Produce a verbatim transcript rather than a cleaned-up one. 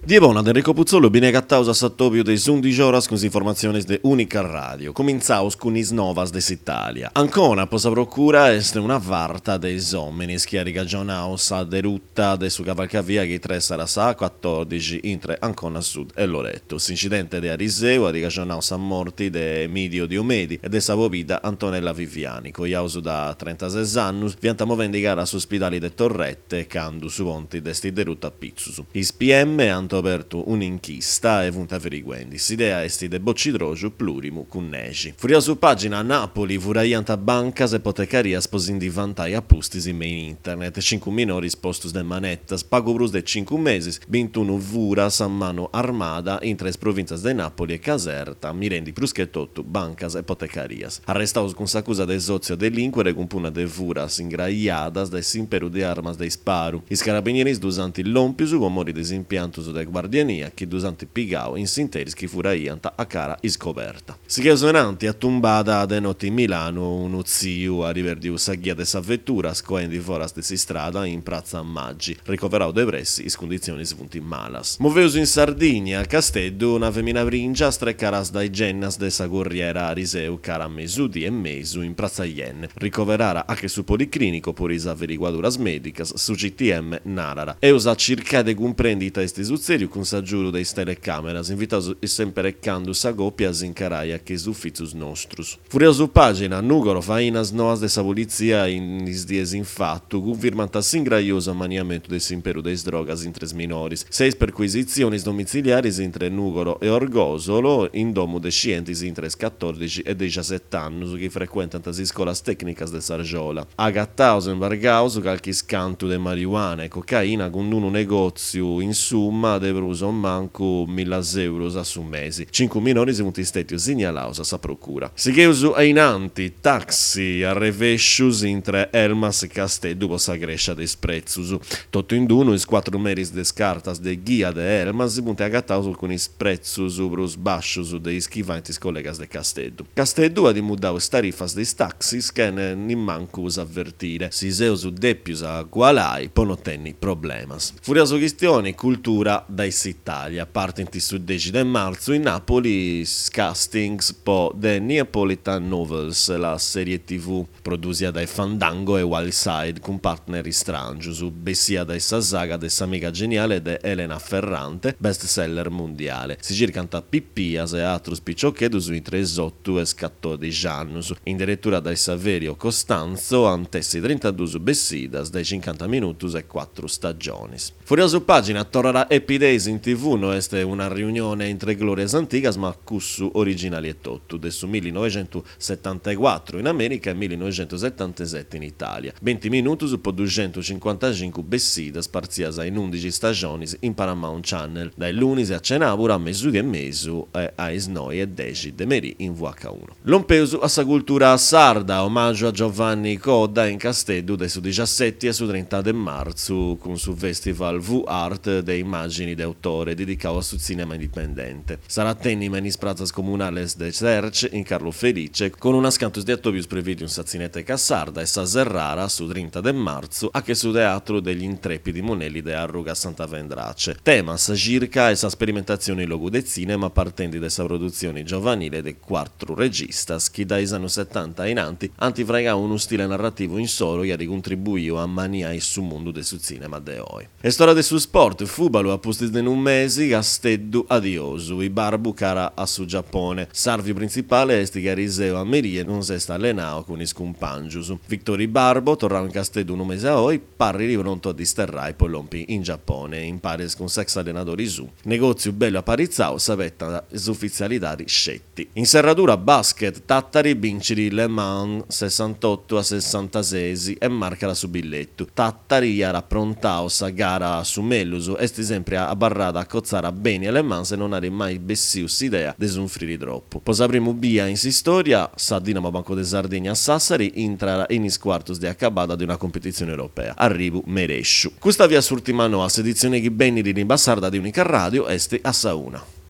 Die bona de Enrico Putzolu, beni agataus a s'atobiu de is undixi oras cun is informatzionis de Unica Radio. Comintzaus cun is novas de s'Italia. Ancona po sa procura est una farta de is ominis chi at cagionau sa deruta de su cavalcavia chi tressat sa A cuatòrdixi intre Ancona Sud e Loreto. S'incidente de ariseu at cagionau sa morti de Emidio Diomedi e de sa pobidda Antonella Viviani, coiaus da trentases annus, fiant movendi cara a s'uspidali de Torrette candu su ponti dd'est derutu a pitzus. Is P M ant obertu un'inchista e funt averiguendi. S'idea est de bocidroxu plurimu cun nexi. Furriaus pagina, Napoli, furaiant bancas e potecarias po si ndi vantai a pustis me in internet. Cincu minoris postus de manetas, pagu prus de cincu mesis, bintunu furas a manu armada intre is provìntzias de Napoli e Caserta, mirendi prus che totu bancas e potecarias. Arrestaus cun s'acusa de sòtziu a delìnquere cun punna de furas ingraiadas de s'imperu de armas de isparu. Is carabinieris ddus ant lòmpius po mori de is impiantus de guardiania chi ddus ant pigau in s'interis chi furaiant a cara iscoberta. Sigheus enanti, atumbada de noti in Milanu, unu tziu at perdiu sa ghia de sa vetura scoendi foras de s'istrada in pratza Maggi. Ricoverau de pressi, is cunditzionis funt malas. Moveus in Sardigna, a Casteddu, una femina pringia strecaras dae gennas de sa Corriera ariseu cara a mesudì e mesu in pratza Yenne. Ricoverara a che su Policlinico po is averiguaduras medicas, su C T M narara. Eus a circai de cumprendi ita est sutzediu cun s'agiudu de is telecameras, invitaus sempre e candu sa copia s'incaraia che is ufitzus nostrus. Furriaus pagina, Nugoro, fainas noas de sa polizia in is dies in fatu cunfirmant s'ingraiosu ammaniamentu de s'imperu de is drogas intre is minores. Seis perquisitziones domiciliaris intre Nugoro e Orgosolo in domu de scientis intre is catòrdixi e dexasete annus chi frequentant is iscolas tecnicas de S'Argiola. Agataus e imbargaus calchi scantu de marijuana e cocaina cun unu negòtziu in summa de prus o mancu millas euros a su mesi. Cincu minores funt stètius signalaus a sa procura. Sigheus a inanti, taxi arrevescius intre Elmas e Casteddu po sa crescia de is pretzus. Totu in d'unu, is cuatru meris de is cartas de ghia de Elmas funt agataus cun is pretzus prus bascius de is chi faint is collegas de Casteddu. Casteddu at mudau is tarifas de is taxis chene nimmancu s'avvertire. Si seus dèpius agualai po no tenni problemas. Furriaus chistioni, cultura dae s'Italia. Partint su dexi de marzu in Napoli is castings po The Neapolitan Novels, la serie T V produsia dae Fandango e Wildside cun partner istrangius, bessia dae sa saga de S'amiga geniale de Elena Ferrante, bestseller mondiale. Si circant pipias e atrus piciocheddus intre is otto e is catòdixi annus. In direttura dae Saverio Costanzo antessi trintadus bessidas dae cinquanta minutus e quattro stagionis. Furriaus pagina, torrarà Happy Days in T V, no est una riunione intre glorias antigas ma cussu originali e totu, de su millinovecentosettantaquattro in America e millinovecentosettantasette in Italia. venti minutus po duecentocinquantacinque bessidas partzias in undixi stagionis in Paramount Channel, dae lunis a cenabura a mesudì e mesu e a is noi e dexi de merì in V H uno. Lompeus a sa cultura sarda, omaggio a Giovanni Coda in Casteddu de su diciassette a su trenta de marzu cun su Festival V-Art de immagini de autore dedicau a su cinema indipendente. Sarà tenima in is pratzas comunales de Serce in Carlo Felice con unas cantos de atobius previdiu in sa Cineteca Sarda e sa Serrara su trenta de marzu a che su Teatro degli Intrepidi Monelli de Arruga Santa Vendrace. Tema sa circa e sa sperimentazione in logu de cinema partendi de sa produzione giovanile de quattro registas chi dai anni settanta in anti antifraigau uno stile narrativo in solo e ha contribuiu a maniai su mondo de su cinema de oi. E storia de su sport, fubalu a pustis de un mesi, Casteddu adiosu, Ibarbu cara a su Giappone. S'arviu principale est che Ariseo a Merie non s'est allenau con is cumpangius. Victor Ibarbo, torrau in Casteddu un mese a oi, parri pronto a disterrai poi lompi in Giappone, in pares con sex allenatori su. Negozio bello apparizzau, s'avetta s'ufficialità scetti. In serradura basket, Tattari vinciri Le Mans sessantotto a sessantasei e marca la su billetto. Tattari era prontao sa gara su Melluso, est sempre a barrada a cozzara bene Le Mans e non ha mai bessiu s'idea de sunfriri troppo. Posa primo bia in s'istoria, sa Dinamo Banco de Sardegna Sassari entra in is quartos de acabada de una competizione europea. Arribu meresciu. Questa via s'ultima noa, s'edizione chi benni di limba sarda di Unica Radio est a sa una.